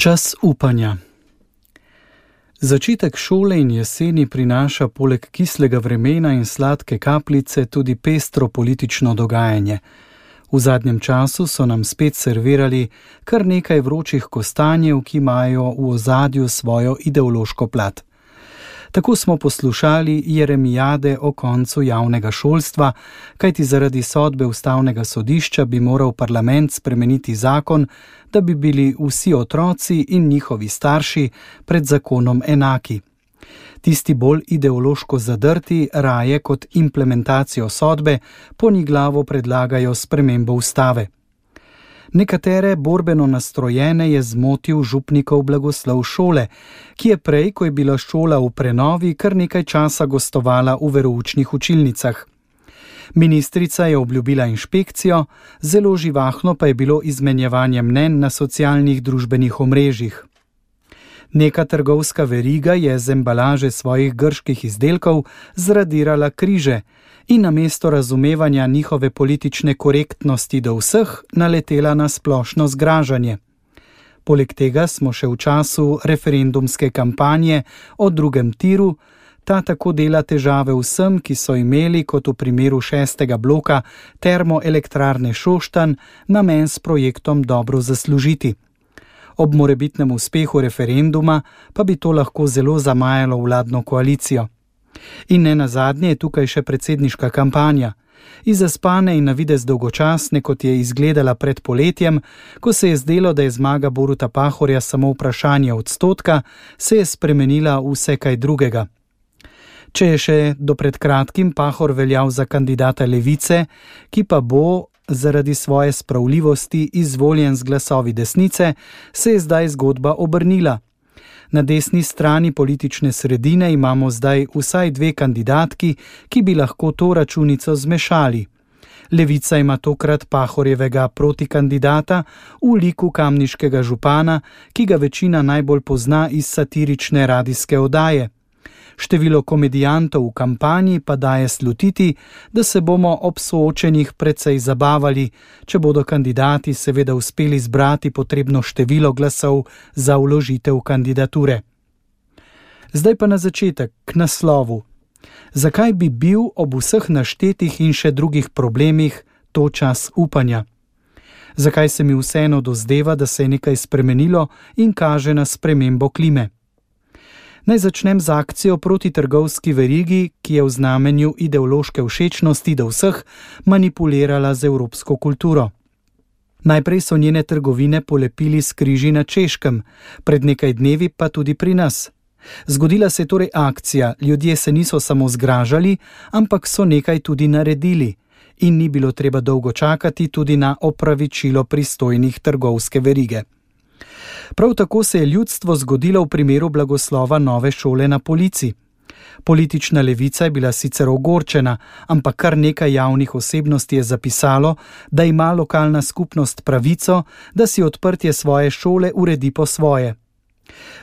Čas upanja. Začetek šole in jeseni prinaša poleg kislega vremena in sladke kapljice tudi pestro politično dogajanje. V zadnjem času so nam spet servirali kar nekaj vročih kostanjev, ki imajo v ozadju svojo ideološko plat. Tako smo poslušali jeremijade o koncu javnega šolstva, kajti zaradi sodbe ustavnega sodišča bi moral parlament spremeniti zakon, da bi bili vsi otroci in njihovi starši pred zakonom enaki. Tisti bolj ideološko zadrti raje kot implementacijo sodbe poniglavo predlagajo spremembo ustave. Nekatere borbeno nastrojene je zmotil župnikov blagoslov šole, ki je prej, ko je bila šola v prenovi, kar nekaj časa gostovala v veroučnih učilnicah. Ministrica je obljubila inšpekcijo, zelo živahno pa je bilo izmenjevanje mnenj na socialnih družbenih omrežjih. Neka trgovska veriga je z embalaže svojih grških izdelkov zradirala križe in namesto razumevanja njihove politične korektnosti do vseh naletela na splošno zgražanje. Poleg tega smo še v času referendumske kampanje o drugem tiru, ta tako dela težave vsem, ki so imeli, kot v primeru 6. bloka termoelektrarne Šoštanj, namen s projektom dobro zaslužiti. Ob morebitnem uspehu referenduma pa bi to lahko zelo zamajalo vladno koalicijo. In ne nazadnje je tukaj še predsedniška kampanja. Iz zaspane in na videz dolgočasne, kot je izgledala pred poletjem, ko se je zdelo, da je zmaga Boruta Pahorja samo vprašanje odstotka, se je spremenila v vse kaj drugega. Če je še do pred kratkim Pahor veljal za kandidata Levice, ki pa bo zaradi svoje spravljivosti izvoljen z glasovi desnice, se je zdaj zgodba obrnila. Na desni strani politične sredine imamo zdaj vsaj 2 kandidatki, ki bi lahko to računico zmešali. Levica ima tokrat Pahorjevega protikandidata v liku kamniškega župana, ki ga večina najbolj pozna iz satirične radijske oddaje. Število komedijantov v kampanji pa daje slutiti, da se bomo ob soočenjih precej zabavali, če bodo kandidati seveda uspeli zbrati potrebno število glasov za vložitev kandidature. Zdaj pa na začetek, k naslovu. Zakaj bi bil ob vseh naštetih in še drugih problemih to čas upanja? Zakaj se mi vseeno dozdeva, da se je nekaj spremenilo in kaže na spremembo klime? Naj začnem z akcijo proti trgovski verigi, ki je v znamenju ideološke všečnosti do vseh manipulirala z evropsko kulturo. Najprej so njene trgovine polepili s križi na Češkem, pred nekaj dnevi pa tudi pri nas. Zgodila se je torej akcija, ljudje se niso samo zgražali, ampak so nekaj tudi naredili in ni bilo treba dolgo čakati tudi na opravičilo pristojnih trgovske verige. Prav tako se je ljudstvo zgodilo v primeru blagoslova nove šole na Polici. Politična levica je bila sicer ogorčena, ampak kar nekaj javnih osebnosti je zapisalo, da ima lokalna skupnost pravico, da si odprtje svoje šole uredi po svoje.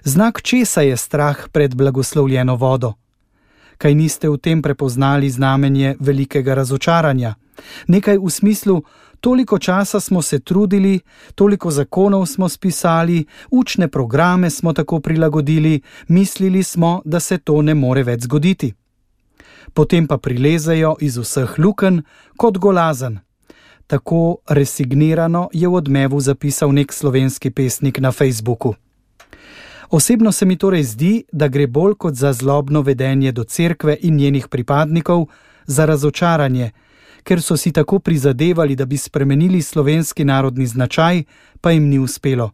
Znak česa je strah pred blagoslovljeno vodo? Kaj niste v tem prepoznali znamenje velikega razočaranja? Nekaj v smislu, toliko časa smo se trudili, toliko zakonov smo spisali, učne programe smo tako prilagodili, mislili smo, da se to ne more več zgoditi. Potem pa prilezejo iz vseh lukenj kot golazen. Tako resignirano je v odmevu zapisal nek slovenski pesnik na Facebooku. Osebno se mi torej zdi, da gre bolj kot za zlobno vedenje do cerkve in njenih pripadnikov, za razočaranje, ker so si tako prizadevali, da bi spremenili slovenski narodni značaj, pa jim ni uspelo.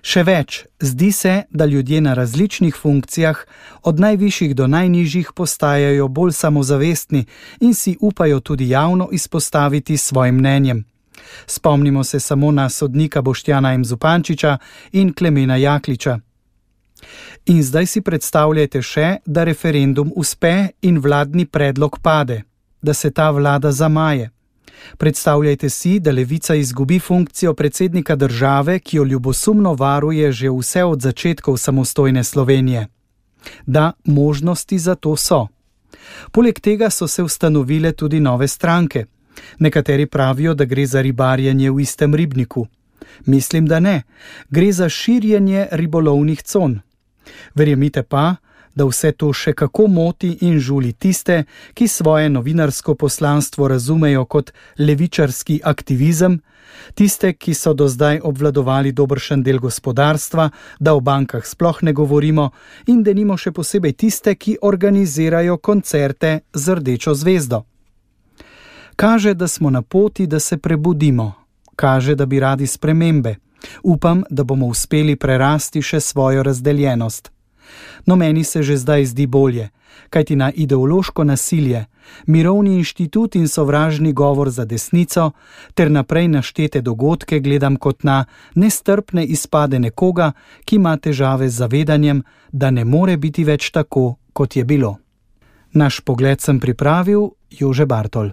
Še več, zdi se, da ljudje na različnih funkcijah, od najvišjih do najnižjih, postajajo bolj samozavestni in si upajo tudi javno izpostaviti svojim mnenjem. Spomnimo se samo na sodnika Boštjana M. Zupančiča in Klemena Jakliča. In zdaj si predstavljajte še, da referendum uspe in vladni predlog pade, da se ta vlada zamaje. Predstavljajte si, da levica izgubi funkcijo predsednika države, ki jo ljubosumno varuje že vse od začetkov samostojne Slovenije. Da, možnosti za to so. Poleg tega so se ustanovile tudi nove stranke. Nekateri pravijo, da gre za ribarjenje v istem ribniku. Mislim, da ne. Gre za širjenje ribolovnih con. Verjemite pa, da vse to še kako moti in žuli tiste, ki svoje novinarsko poslanstvo razumejo kot levičarski aktivizem, tiste, ki so do zdaj obvladovali dobršen del gospodarstva, da o bankah sploh ne govorimo, in denimo še posebej tiste, ki organizirajo koncerte z rdečo zvezdo. Kaže, da smo na poti, da se prebudimo. Kaže, da bi radi spremembe. Upam, da bomo uspeli prerasti še svojo razdeljenost. No, meni se že zdaj zdi bolje, kajti na ideološko nasilje, mirovni inštitut in sovražni govor za desnico ter naprej naštete dogodke gledam kot na nestrpne izpade nekoga, ki ima težave z zavedanjem, da ne more biti več tako, kot je bilo. Naš pogled sem pripravil Jože Bartol.